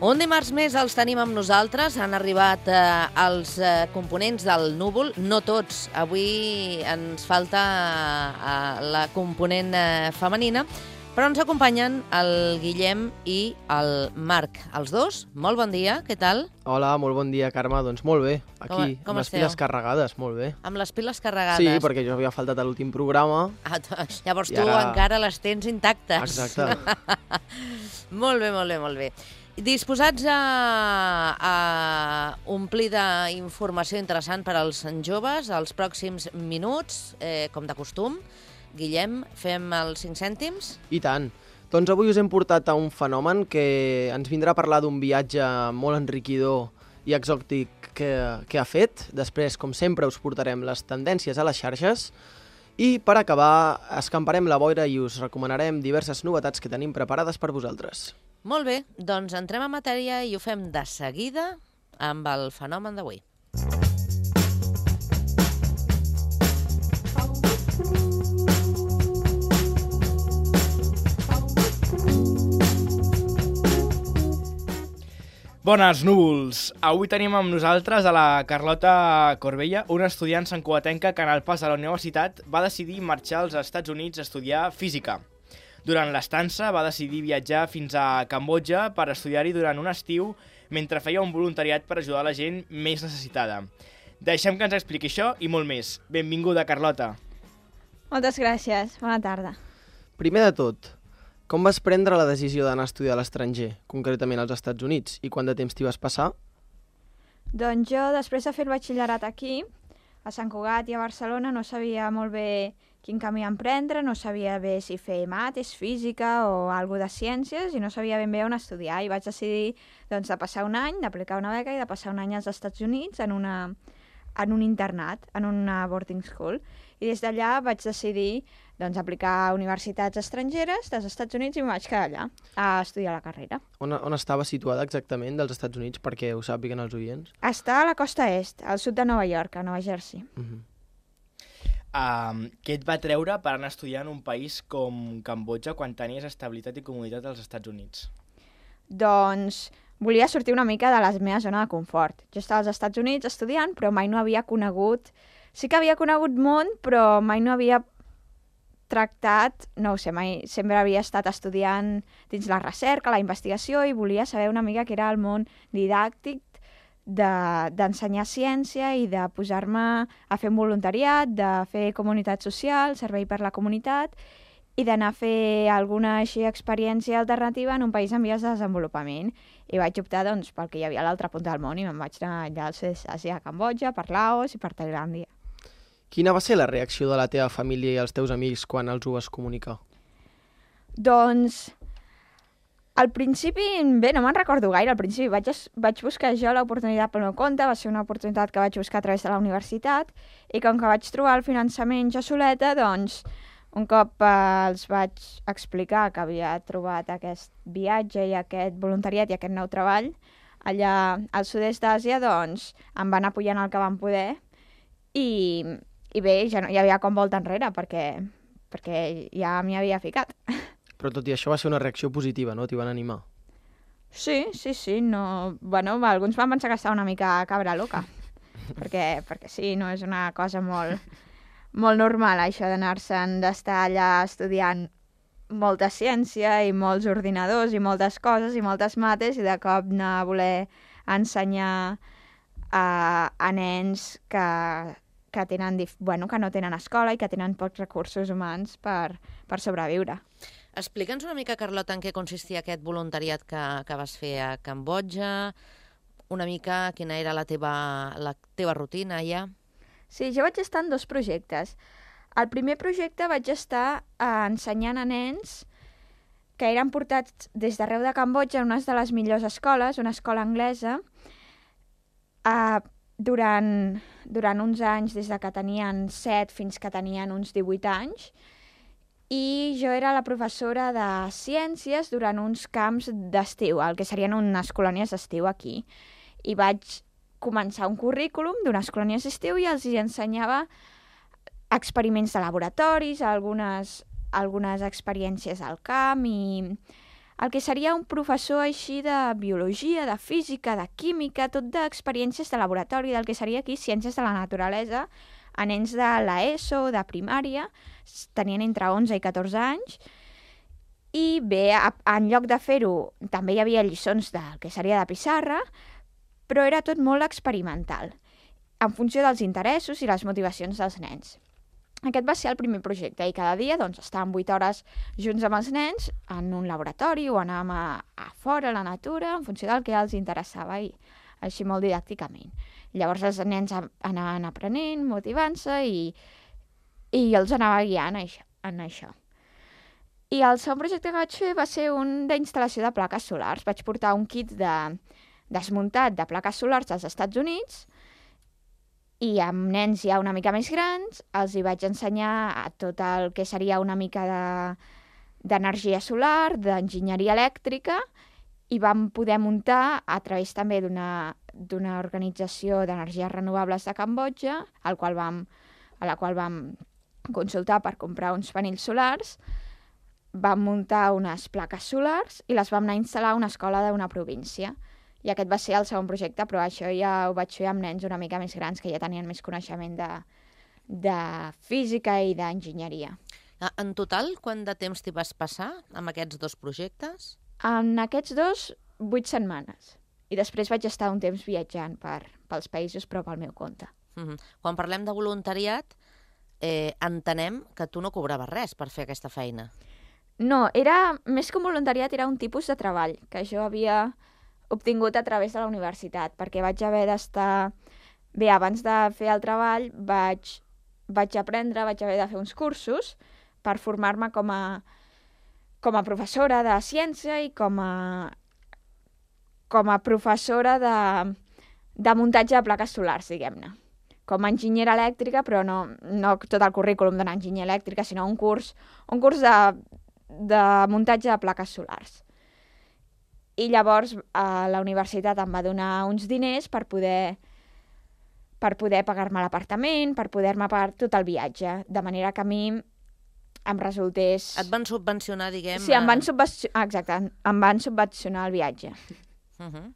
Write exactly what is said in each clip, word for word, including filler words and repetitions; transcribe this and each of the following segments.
Un dimarts més els tenim amb nosaltres. Han arribat eh, els eh, components del Núvol, no tots. Avui ens falta eh, la component eh, femenina, però ens acompanyen el Guillem i el Marc. Els dos, molt bon dia, què tal? Hola, molt bon dia, Carme. Doncs molt bé, aquí, com, com amb les esteu? piles carregades, molt bé. Amb les piles carregades? Sí, perquè jo havia faltat a l'últim programa. Ah, llavors I tu ara... encara les tens intactes. Exacte. Molt bé, molt bé, molt bé. Disposats a, a omplir d'informació interessant per als joves els pròxims minuts, eh, com de costum. Guillem, fem els cinc cèntims? I tant. Doncs avui us hem portat a un fenomen que ens vindrà a parlar d'un viatge molt enriquidor i exòtic que, que ha fet. Després, com sempre, us portarem les tendències a les xarxes. I per acabar, escamparem la boira i us recomanarem diverses novetats que tenim preparades per vosaltres. Molt bé, doncs entrem en matèria i ho fem de seguida amb el fenomen d'avui. Bones, núvols! Avui tenim amb nosaltres a la Carlota Corbella, una estudiant santcugatenca que en el pas a la universitat va decidir marxar als Estats Units a estudiar física. Durant l'estança va decidir viatjar fins a Cambodja per estudiar-hi durant un estiu mentre feia un voluntariat per ajudar la gent més necessitada. Deixem que ens expliqui això i molt més. Benvinguda, Carlota. Moltes gràcies. Bona tarda. Primer de tot, com vas prendre la decisió d'anar a estudiar a l'estranger, concretament als Estats Units, i quant de temps t'hi vas passar? Doncs jo, després de fer el batxillerat aquí, a Sant Cugat i a Barcelona, no sabia molt bé quin camí emprendre, no sabia bé si fer mates, física o alguna de ciències, i no sabia ben bé on estudiar. I vaig decidir doncs, de passar un any, d'aplicar una beca i de passar un any als Estats Units en, una, en un internat, en una boarding school. I des d'allà vaig decidir doncs, aplicar a universitats estrangeres dels Estats Units i em vaig quedar allà a estudiar la carrera. On, on estava situada exactament dels Estats Units, perquè ho sàpiguen els oients? Està a la costa est, al sud de Nova York, a Nova Jersey. Uh-huh. Um, què et va treure per anar a estudiar en un país com Cambodja quan tenies estabilitat i comoditat als Estats Units? Doncs volia sortir una mica de la meva zona de confort. Jo estava als Estats Units estudiant, però mai no havia conegut... Sí que havia conegut món, però mai no havia tractat... No ho sé, mai sempre havia estat estudiant dins la recerca, la investigació, i volia saber una mica què era el món didàctic d'ensenyar de, ciència i de posar-me a fer un voluntariat, de fer comunitat social, servei per la comunitat, i d'anar a fer alguna així experiència alternativa en un país en vies de desenvolupament. I vaig optar doncs, pel que hi havia a l'altra punta del món i me'n vaig anar allà al sud-est d'Àsia, a Cambodja, per Laos i per Tailàndia. Quina va ser la reacció de la teva família i els teus amics quan els ho vas comunicar? Doncs, al principi, bé, no me'n recordo gaire. Al principi vaig, vaig buscar jo l'oportunitat pel meu compte, va ser una oportunitat que vaig buscar a través de la universitat, i com que vaig trobar el finançament jo soleta, doncs, un cop eh, els vaig explicar que havia trobat aquest viatge i aquest voluntariat i aquest nou treball allà al sud-est d'Àsia, doncs, em van apoyar el que van poder, i, i bé, ja no hi havia com volta enrere, perquè, perquè ja m'hi havia ficat. Però tot i això va ser una reacció positiva, no? T'hi van animar. Sí, sí, sí. No... Bueno, alguns van pensar que estava una mica cabra loca, perquè, perquè sí, no és una cosa molt, molt normal, això d'anar-se'n d'estar allà estudiant molta ciència i molts ordinadors i moltes coses i moltes mates, i de cop anar a voler ensenyar a, a nens que, que, tenen, bueno, que no tenen escola i que tenen pocs recursos humans per, per sobreviure. Explica'ns una mica, Carlota, en què consistia aquest voluntariat que, que vas fer a Cambodja, una mica quina era la teva, la teva rutina allà. Sí, jo vaig estar en dos projectes. Al primer projecte vaig estar eh, ensenyant a nens que eren portats des d'arreu de Cambodja en una de les millors escoles, una escola anglesa, eh, durant, durant uns anys, des de que tenien set fins que tenien uns divuit anys, i jo era la professora de ciències durant uns camps d'estiu, el que serien unes colònies d'estiu aquí. I vaig començar un currículum d'unes colònies d'estiu i els hi ensenyava experiments de laboratoris, algunes, algunes experiències al camp i el que seria un professor així de biologia, de física, de química, tot d'experiències de laboratori, del que seria aquí ciències de la naturalesa, a nens de l'ESO, de primària, tenien entre onze i catorze anys, i bé, en lloc de fer-ho, també hi havia lliçons del que seria de pissarra, però era tot molt experimental, en funció dels interessos i les motivacions dels nens. Aquest va ser el primer projecte i cada dia doncs, estàvem vuit hores junts amb els nens en un laboratori o anàvem a, a fora, a la natura, en funció del que els interessava i així molt didàcticament. Llavors els nens anaven aprenent, motivant-se i, i jo els anava guiant en això. I el segon projecte que vaig fer va ser un d'instal·lació de plaques solars. Vaig portar un kit de, desmuntat de plaques solars dels Estats Units i amb nens ja una mica més grans els hi vaig ensenyar a tot el que seria una mica d'energia de, solar, d'enginyeria elèctrica, i vam poder muntar a través també d'una organització d'energies renovables de Cambodja, al qual vam, a la qual vam consultar per comprar uns panells solars. Vam muntar unes plaques solars i les vam anar a instal·lar a una escola d'una província. I aquest va ser el segon projecte, però això ja ho vaig fer amb nens una mica més grans, que ja tenien més coneixement de, de física i d'enginyeria. En total, quant de temps t'hi vas passar amb aquests dos projectes? En aquests dos, vuit setmanes. I després vaig estar un temps viatjant per, pels països, però pel meu compte. Mm-hmm. Quan parlem de voluntariat, eh, entenem que tu no cobraves res per fer aquesta feina. No, era més que un voluntariat, era un tipus de treball que jo havia obtingut a través de la universitat, perquè vaig haver d'estar... Bé, abans de fer el treball vaig, vaig aprendre, vaig haver de fer uns cursos per formar-me com a, com a professora de ciència i com a, com a professora de, de muntatge de plaques solars, diguem-ne. Com a enginyera elèctrica, però no, no tot el currículum d'una enginyera elèctrica, sinó un curs, un curs de, de muntatge de plaques solars. I llavors a la universitat em va donar uns diners per poder, per poder pagar-me l'apartament, per poder-me pagar tot el viatge, de manera que a mi em resultés... Et van subvencionar, diguem... Sí, em van subvencionar, exacte, em van subvencionar el viatge. Uh-huh.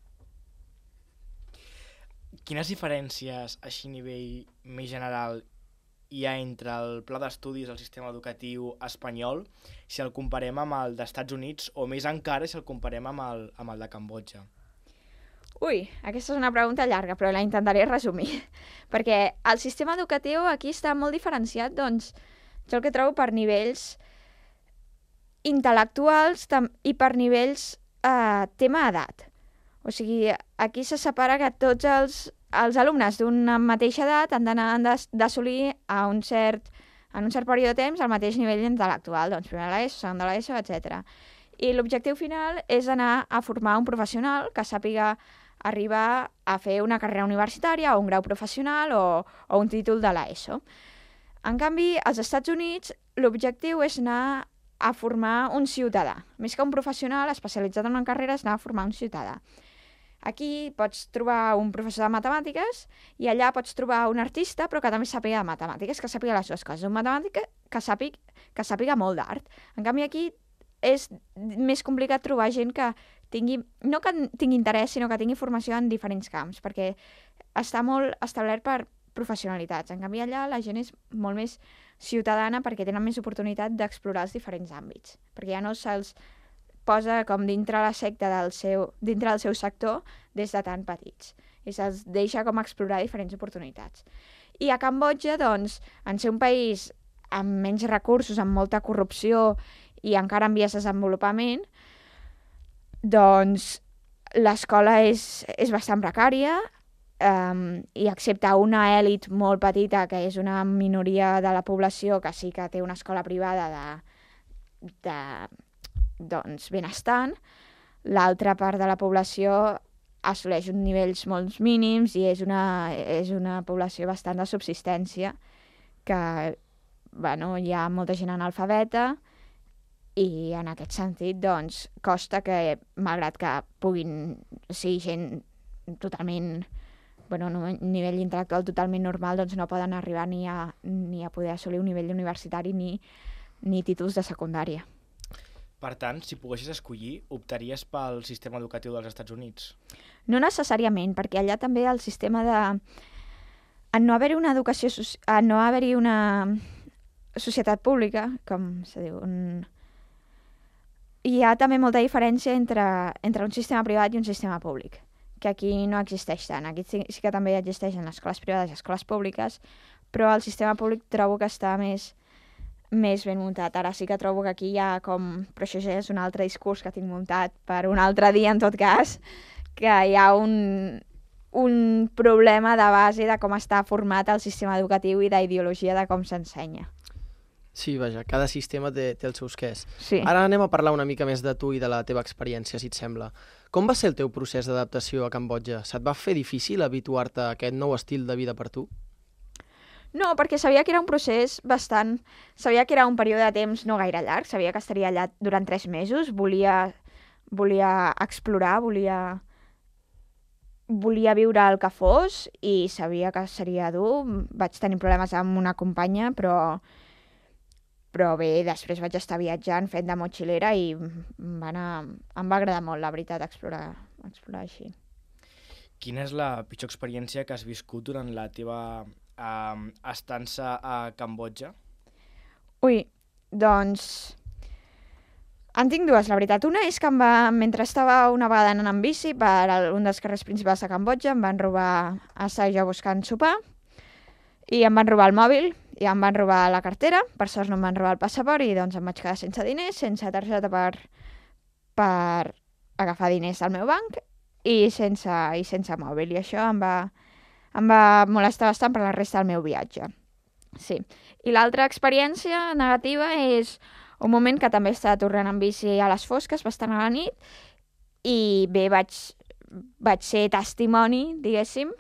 Quines diferències, així a nivell més general, hi ha entre el pla d'estudis del sistema educatiu espanyol si el comparem amb el dels Estats Units o més encara si el comparem amb el, amb el de Cambodja? Ui, aquesta és una pregunta llarga, però la intentaré resumir. Perquè el sistema educatiu aquí està molt diferenciat, doncs, jo el que trobo per nivells intel·lectuals i per nivells eh, tema edat. O sigui, aquí se separa que tots els, els alumnes d'una mateixa edat han d'assolir a un cert, en un cert període de temps el mateix nivell intel·lectual, doncs primer de l'ESO, segon de l'ESO, etcètera. I l'objectiu final és anar a formar un professional que sàpiga arribar a fer una carrera universitària o un grau professional o, o un títol de l'ESO. En canvi, als Estats Units l'objectiu és anar a formar un ciutadà. Més que un professional especialitzat en una carrera és anar a formar un ciutadà. Aquí pots trobar un professor de matemàtiques i allà pots trobar un artista però que també sàpiga de matemàtiques, que sàpiga les dues coses. Un matemàtic que sàpiga, que sàpiga molt d'art. En canvi aquí és més complicat trobar gent que tingui, no que tingui interès, sinó que tingui formació en diferents camps, perquè està molt establert per professionalitats. En canvi allà la gent és molt més ciutadana perquè tenen més oportunitat d'explorar els diferents àmbits, perquè ja no se'ls posa com dintre la secta del seu, dintre del seu sector des de tan petits. I se'ls deixa com explorar diferents oportunitats. I a Cambodja, doncs, en ser un país amb menys recursos, amb molta corrupció i encara en vies de desenvolupament, doncs l'escola és, és bastant precària um, i excepte una èlit molt petita, que és una minoria de la població que sí que té una escola privada de, de doncs, benestant, l'altra part de la població assoleix uns nivells molt mínims i és una, és una població bastant de subsistència, que bueno, hi ha molta gent analfabeta i en aquest sentit doncs, costa que, malgrat que puguin ser gent totalment, bueno, un nivell intel·lectual totalment normal, doncs no poden arribar ni a, ni a poder assolir un nivell universitari ni, ni títols de secundària. Per tant, si poguessis escollir, optaries pel sistema educatiu dels Estats Units? No necessàriament, perquè allà també el sistema de... En no haver-hi una educació... En no haver-hi una societat pública, com se diu... Un... Hi ha també molta diferència entre, entre un sistema privat i un sistema públic, que aquí no existeix tant. Aquí sí, sí que també existeixen les escoles privades i escoles públiques, però el sistema públic trobo que està més, més ben muntat. Ara sí que trobo que aquí hi ha com... Però això ja és un altre discurs que tinc muntat per un altre dia, en tot cas, que hi ha un, un problema de base de com està format el sistema educatiu i d'ideologia de com s'ensenya. Sí, vaja, cada sistema té, té els seus quès. Sí. Ara anem a parlar una mica més de tu i de la teva experiència, si et sembla. Com va ser el teu procés d'adaptació a Cambodja? Se't va fer difícil habituar-te a aquest nou estil de vida per tu? No, perquè sabia que era un procés bastant... Sabia que era un període de temps no gaire llarg, sabia que estaria allà durant tres mesos, volia, volia explorar, volia... Volia viure el que fos i sabia que seria dur. Vaig tenir problemes amb una companya, però... Però bé, després vaig estar viatjant, fent de motxilera i va anar... em va agradar molt, la veritat, explorar, explorar així. Quina és la pitjor experiència que has viscut durant la teva eh, estança a Cambodja? Ui, doncs... En tinc dues, la veritat. Una és que em va, mentre estava una vegada anant en bici per un dels carrers principals de Cambodja, em van robar, estava jo buscant sopar, i em van robar el mòbil, i em van robar la cartera, per sort no em van robar el passaport, i doncs em vaig quedar sense diners, sense targeta per, per agafar diners al meu banc, i sense, i sense mòbil, i això em va, em va molestar bastant per la resta del meu viatge. Sí. I l'altra experiència negativa és un moment que també estava tornant en bici a les fosques, bastant a la nit, i bé, vaig, vaig ser testimoni, diguéssim,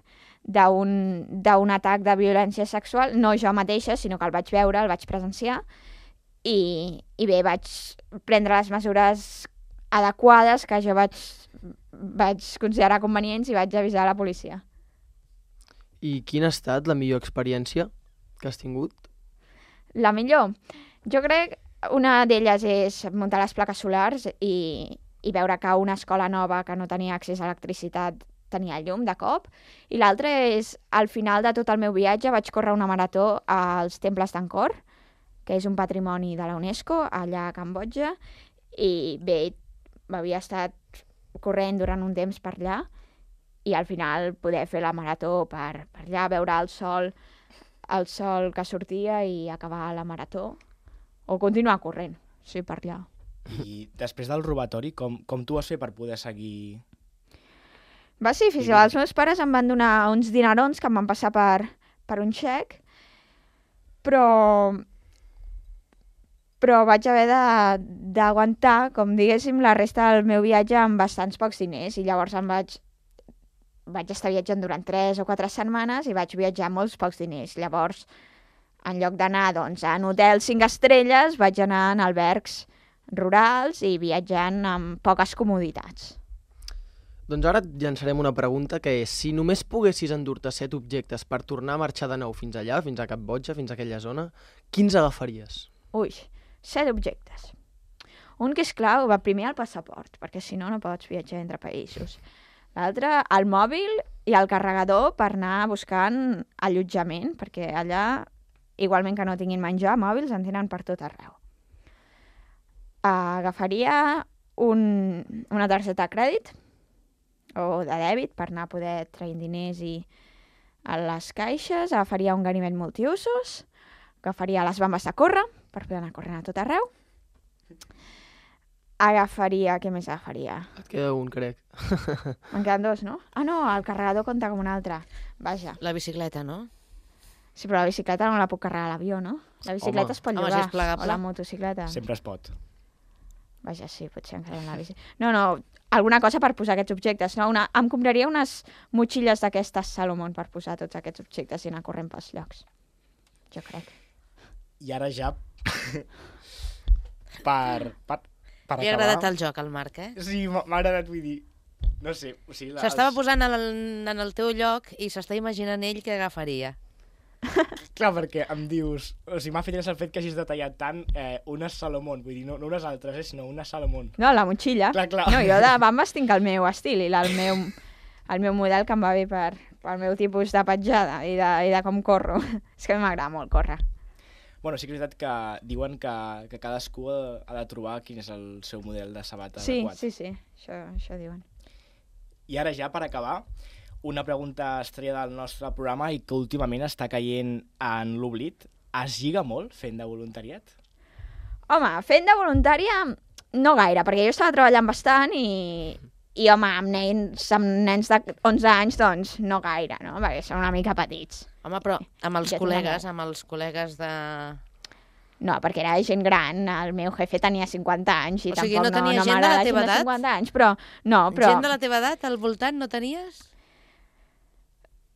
d'un atac de violència sexual, no jo mateixa, sinó que el vaig veure, el vaig presenciar, i, i bé, vaig prendre les mesures adequades que jo vaig, vaig considerar convenients i vaig avisar a la policia. I quina ha estat la millor experiència que has tingut? La millor? Jo crec una d'elles és muntar les plaques solars i, i veure que una escola nova que no tenia accés a electricitat tenia llum de cop, i l'altre és, al final de tot el meu viatge, vaig córrer una marató als temples d'Angkor, que és un patrimoni de la UNESCO, allà a Cambodja, i bé, havia estat corrent durant un temps per allà, i al final poder fer la marató per, per allà, veure el sol, el sol que sortia i acabar la marató, o continuar corrent, sí, per allà. I després del robatori, com, com tu vas fer per poder seguir... Va ser difícil. Els meus pares em van donar uns dinerons que em van passar per, per un xec, però, però vaig haver d'aguantar, com diguéssim, la resta del meu viatge amb bastants pocs diners, i llavors em vaig, vaig estar viatjant durant tres o quatre setmanes i vaig viatjar amb molts pocs diners. Llavors, en lloc d'anar doncs, en hotels cinc estrelles, vaig anar en albergs rurals i viatjant amb poques comoditats. Doncs ara et llançarem una pregunta que és, si només poguessis endur-te set objectes per tornar a marxar de nou fins allà, fins a Cambodja, fins a aquella zona, quins agafaries? Ui, set objectes. Un que és clau, va primer el passaport, perquè si no, no pots viatjar entre països. L'altre, el mòbil i el carregador per anar buscant allotjament, perquè allà, igualment que no tinguin menjar, mòbils en tenen per tot arreu. Agafaria un, una targeta de crèdit, o de dèbit, per anar a poder traient diners i a les caixes, agafaria un ganivet multiusos, agafaria les bambes de córrer, per poder anar corrent a tot arreu, agafaria... Què més agafaria? Et queda un, crec. Me'n queden dos, no? Ah, no, el carregador compta com un altre. Vaja. La bicicleta, no? Sí, però la bicicleta no la puc carregar a l'avió, no? La bicicleta Home. es pot Home, llogar. si és plegable. O la motocicleta. Sempre es pot. Vaja, sí, potser encara en la bici. No, no, alguna cosa per posar aquests objectes, no? Una, em compraria unes motxilles d'aquestes Salomon per posar tots aquests objectes i anar corrent pels llocs. Jo crec. I ara ja, per, per, per Li ha acabar... agradat el joc, al Marc, eh? Sí, m'ha m'ha agradat, vull dir... No sé, o sigui... la- S'estava els- posant en el, en el teu lloc i s'està imaginant ell què agafaria. Clar, perquè em dius... O sigui, m'ha fet el fet que hagis detallat tant eh, una Salomon, vull dir, no, no unes altres, eh, sinó una Salomon. No, la motxilla. Clar, clar. No, jo de bambes tinc el meu estil i la, el, meu, el meu model que em va bé per, pel meu tipus de petjada i de, i de com corro. És que a mi m'agrada molt córrer. Bueno, sí que és veritat que diuen que, que cadascú ha de trobar quin és el seu model de sabata sí, adequat. Sí, sí, això, això diuen. I ara ja, per acabar, una pregunta estrella del nostre programa i que últimament està caient en l'oblit. Es lliga molt fent de voluntariat? Home, fent de voluntària no gaire, perquè jo estava treballant bastant i, i home, amb nens, amb nens de onze anys, doncs no gaire, no? Perquè són una mica petits. Home, però amb els Ja col·legues, tenen- amb els col·legues de... No, perquè era gent gran, el meu jefe tenia cinquanta anys i O sigui, tampoc no tenia no, no gent de la m'agrada teva gent edat? de cinquanta anys, però no, però Gent de la teva edat al voltant no tenies?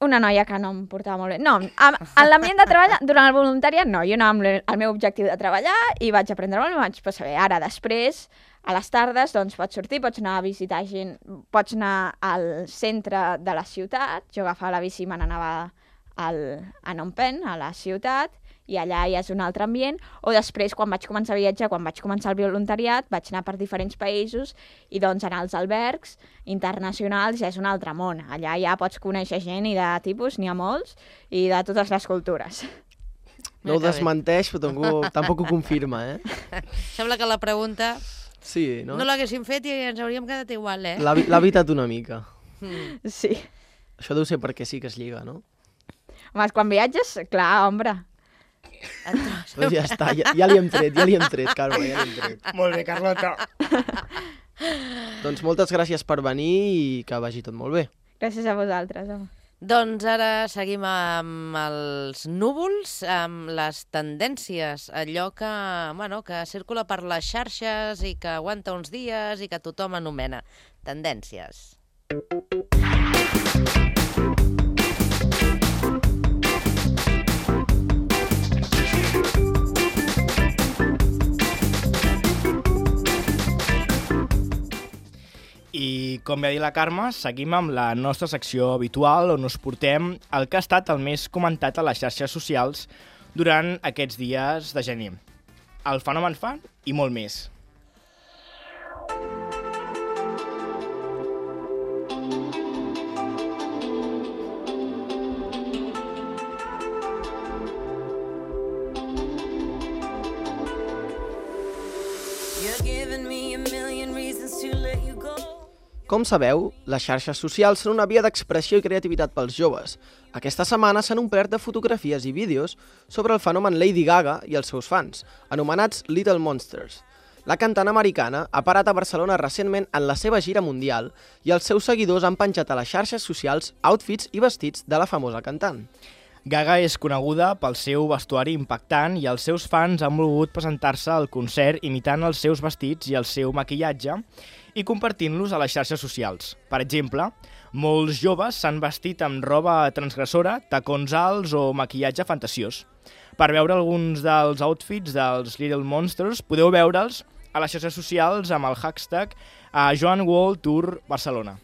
una noia que no em portava molt bé. No, en, en l'ambient de treball, durant el voluntariat, no, jo anava amb el, el meu objectiu de treballar i vaig aprendre molt, i vaig passar bé. Ara, després, a les tardes, doncs pots sortir, pots anar a visitar gent, pots anar al centre de la ciutat, jo agafava la bici i me n'anava al, a Phnom Penh, a la ciutat, i allà ja és un altre ambient, o després, quan vaig començar a viatjar, quan vaig començar el voluntariat, vaig anar per diferents països i doncs anar als albergs internacionals ja és un altre món. Allà ja pots conèixer gent i de tipus, n'hi ha molts, i de totes les cultures. No ho que bé. desmenteix, però tampoc, tampoc ho confirma, eh? Sembla que la pregunta Sí, no? no l'haguéssim fet i ens hauríem quedat igual, eh? L'ha l'ha evitat una mica. Mm. Sí. Això deu ser perquè sí que es lliga, no? Home, quan viatges, clar, ombra. Doncs ja està, ja, ja li hem tret, ja li hem tret, Carme, ja li hem tret. Molt bé, Carlota. Doncs moltes gràcies per venir i que vagi tot molt bé. Gràcies a vosaltres, home. Doncs ara seguim amb els núvols, amb les tendències, allò que, bueno, que circula per les xarxes i que aguanta uns dies i que tothom anomena tendències. I com ja ha dit la Carme, seguim amb la nostra secció habitual on us portem el que ha estat el més comentat a les xarxes socials durant aquests dies de gener. El fenomen fan i molt més. Com sabeu, les xarxes socials són una via d'expressió i creativitat pels joves. Aquesta setmana s'han omplert de fotografies i vídeos sobre el fenomen Lady Gaga i els seus fans, anomenats Little Monsters. La cantant americana ha parat a Barcelona recentment en la seva gira mundial i els seus seguidors han penjat a les xarxes socials outfits i vestits de la famosa cantant. Gaga és coneguda pel seu vestuari impactant i els seus fans han volgut presentar-se al concert imitant els seus vestits i el seu maquillatge i compartint-los a les xarxes socials. Per exemple, molts joves s'han vestit amb roba transgressora, tacons alts o maquillatge fantasiós. Per veure alguns dels outfits dels Little Monsters, podeu veure'ls a les xarxes socials amb el hashtag a Joan World Tour Barcelona.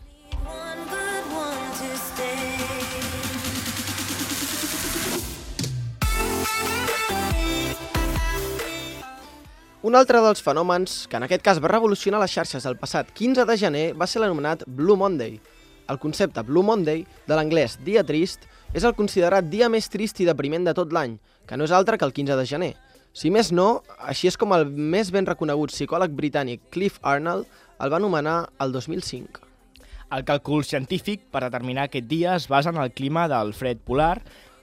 Un altre dels fenòmens que en aquest cas va revolucionar les xarxes el passat quinze de gener va ser l'anomenat Blue Monday. El concepte Blue Monday, de l'anglès dia trist, és el considerat dia més trist i depriment de tot l'any, que no és altre que el quinze de gener. Si més no, així és com el més ben reconegut psicòleg britànic Cliff Arnold el va anomenar el dos mil cinc. El càlcul científic per determinar aquest dia es basa en el clima del fred polar,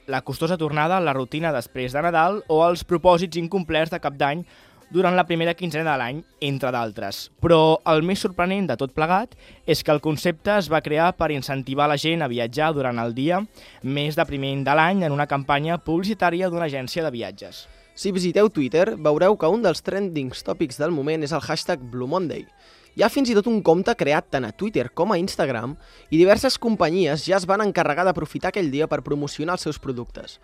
la costosa tornada a la rutina després de Nadal o els propòsits incomplerts de cap d'any durant la primera quinzena de l'any, entre d'altres. Però el més sorprenent de tot plegat és que el concepte es va crear per incentivar la gent a viatjar durant el dia més depriment de l'any en una campanya publicitària d'una agència de viatges. Si visiteu Twitter, veureu que un dels trending tòpics del moment és el hashtag Blue Monday. Hi ha fins i tot un compte creat tant a Twitter com a Instagram i diverses companyies ja es van encarregar d'aprofitar aquell dia per promocionar els seus productes.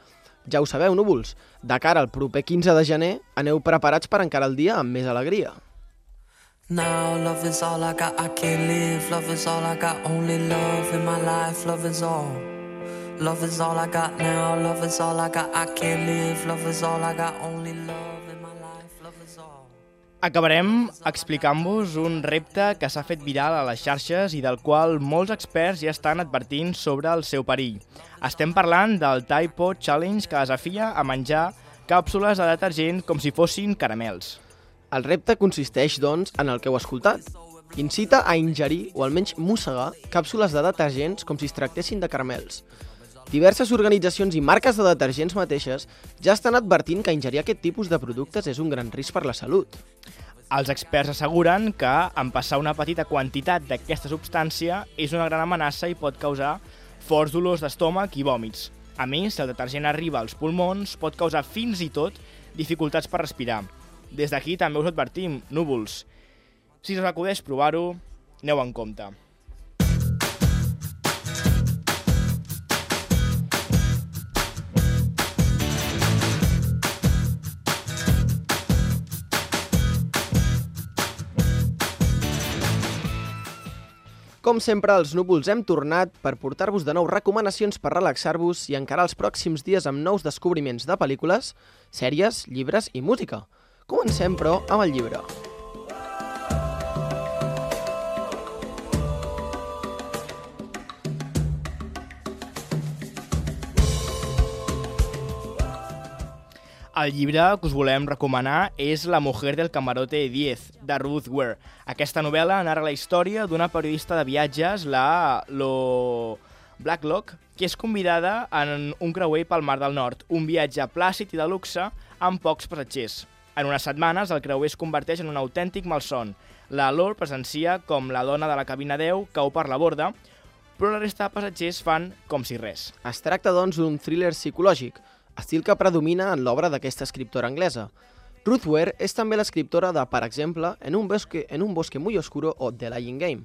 Ja ho sabeu, núvols, de cara al proper quinze de gener, aneu preparats per encarar el dia amb més alegria. Now love is all I got, I can't live. Love is all I got, only love in my life. Love is all. Love is all I got now, love is all I got. I can't live, love is all I got. Only love in my life, love is all. Acabarem explicant-vos un repte que s'ha fet viral a les xarxes i del qual molts experts ja estan advertint sobre el seu perill. Estem parlant del Tide Pod Challenge, que desafia a menjar càpsules de detergent com si fossin caramels. El repte consisteix, doncs, en el que heu escoltat. Incita a ingerir o almenys mossegar càpsules de detergents com si es tractessin de caramels. Diverses organitzacions i marques de detergents mateixes ja estan advertint que ingerir aquest tipus de productes és un gran risc per la salut. Els experts asseguren que en passar una petita quantitat d'aquesta substància és una gran amenaça i pot causar forts dolors d'estómac i vòmits. A més, si el detergent arriba als pulmons, pot causar fins i tot dificultats per respirar. Des d'aquí també us advertim, núvols. Si us acudeix provar-ho, aneu en compte. Com sempre, els núvols hem tornat per portar-vos de nou recomanacions per relaxar-vos i encarar els pròxims dies amb nous descobriments de pel·lícules, sèries, llibres i música. Comencem, però, amb el llibre. El llibre que us volem recomanar és La mujer del camarote diez, de Ruth Ware. Aquesta novel·la narra la història d'una periodista de viatges, la Lo Blacklock, que és convidada en un creuer pel Mar del Nord, un viatge plàcid i de luxe amb pocs passatgers. En unes setmanes, el creuer es converteix en un autèntic malson. La Lore presencia com la dona de la cabina deu cau per la borda, però la resta de passatgers fan com si res. Es tracta, doncs, d'un thriller psicològic, estil que predomina en l'obra d'aquesta escriptora anglesa. Ruth Ware és també l'escriptora de, per exemple, En un bosque, en un bosque muy oscuro o The Lying Game.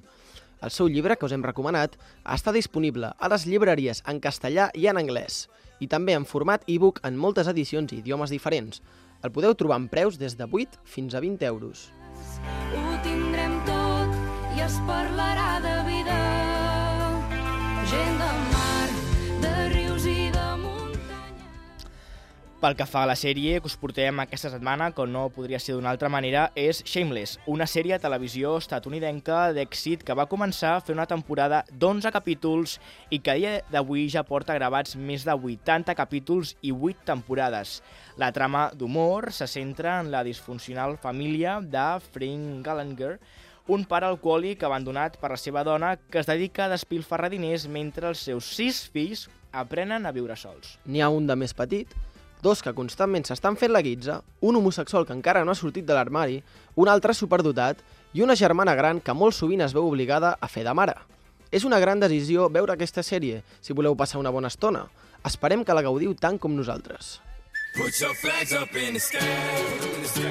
El seu llibre, que us hem recomanat, està disponible a les llibreries en castellà i en anglès, i també en format e-book en moltes edicions i idiomes diferents. El podeu trobar en preus des de vuit fins a vint euros. Ho tindrem tot i es parlarà de vida. Gent de mar, de rius i de muntanya. Pel que fa a la sèrie que us portem aquesta setmana, com no podria ser d'una altra manera, és Shameless, una sèrie de televisió estatunidenca d'èxit que va començar a fer una temporada d'onze capítols i que a dia d'avui ja porta gravats més de vuitanta capítols i vuit temporades. La trama d'humor se centra en la disfuncional família de Frank Gallagher, un pare alcohòlic abandonat per la seva dona que es dedica a despilfarrar diners mentre els seus sis fills aprenen a viure sols. N'hi ha un de més petit, dos que constantment s'estan fent la guitza, un homosexual que encara no ha sortit de l'armari, un altre superdotat i una germana gran que molt sovint es veu obligada a fer de mare. És una gran decisió veure aquesta sèrie si voleu passar una bona estona. Esperem que la gaudiu tant com nosaltres. Put your flags up in the sky, in the sky.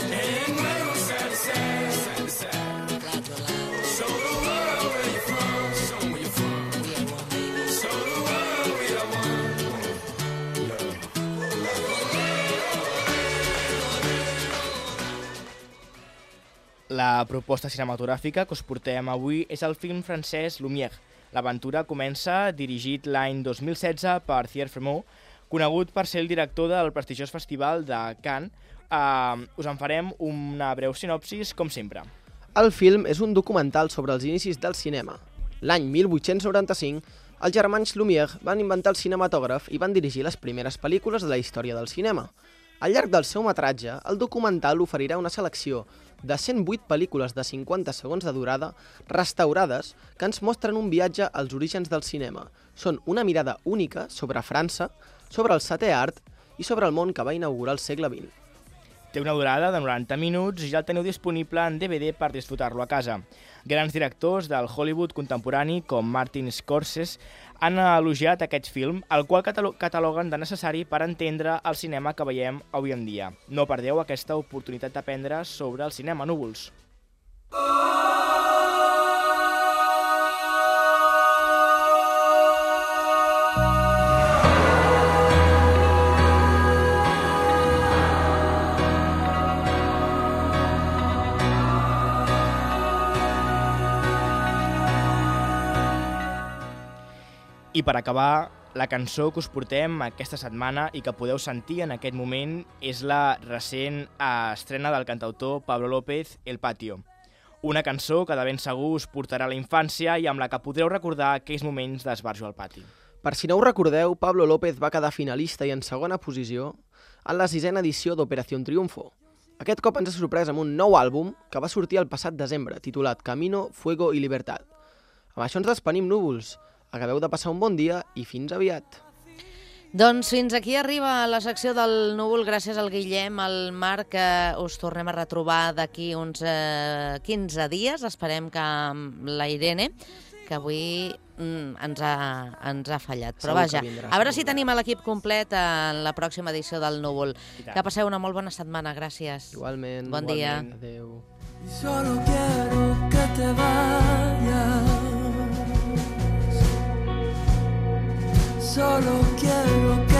And wave side to side, side to side. Show the world where you're from, show 'em where you're from. Show the world we are one. La proposta cinematogràfica que us portem avui és el film francès Lumière. L'aventura comença dirigit l'any dos mil setze per Thierry Frémaux, conegut per ser el director del prestigiós festival de Cannes. Uh, us en farem una breu sinopsis, com sempre. El film és un documental sobre els inicis del cinema. L'any mil vuit-cents noranta-cinc, els germans Lumière van inventar el cinematògraf i van dirigir les primeres pel·lícules de la història del cinema. Al llarg del seu metratge, el documental oferirà una selecció de cent vuit pel·lícules de cinquanta segons de durada, restaurades, que ens mostren un viatge als orígens del cinema. Són una mirada única sobre França, sobre el setè art i sobre el món que va inaugurar el segle vint. Té una durada de noranta minuts i ja el teniu disponible en D V D per disfrutar-lo a casa. Grans directors del Hollywood contemporani, com Martin Scorsese, han elogiat aquest film, el qual cataloguen de necessari per entendre el cinema que veiem avui en dia. No perdeu aquesta oportunitat d'aprendre sobre el cinema, núvols. I I per acabar, la cançó que us portem aquesta setmana i que podeu sentir en aquest moment és la recent estrena del cantautor Pablo López, El Patio. Una cançó que de ben segur us portarà a la infància i amb la que podreu recordar aquells moments d'esbarjo al pati. Per si no ho recordeu, Pablo López va quedar finalista i en segona posició en la sisena edició d'Operación Triunfo. Aquest cop ens ha sorprès amb un nou àlbum que va sortir el passat desembre, titulat Camino, Fuego y Libertad. Amb això ens despenim, núvols. Acabeu de passar un bon dia i fins aviat. Doncs fins aquí arriba la secció del núvol, gràcies al Guillem, al Marc, que us tornem a retrobar d'aquí uns eh, quinze dies. Esperem que amb la Irene, que avui mm, ens, ha, ens ha fallat. Però Segur vaja, que vindrà, a veure segur. si tenim l'equip complet en la pròxima edició del núvol. Que passeu una molt bona setmana, gràcies. Igualment. Bon dia. Igualment. Adéu. Y solo quiero que te vayas. Solo quiero que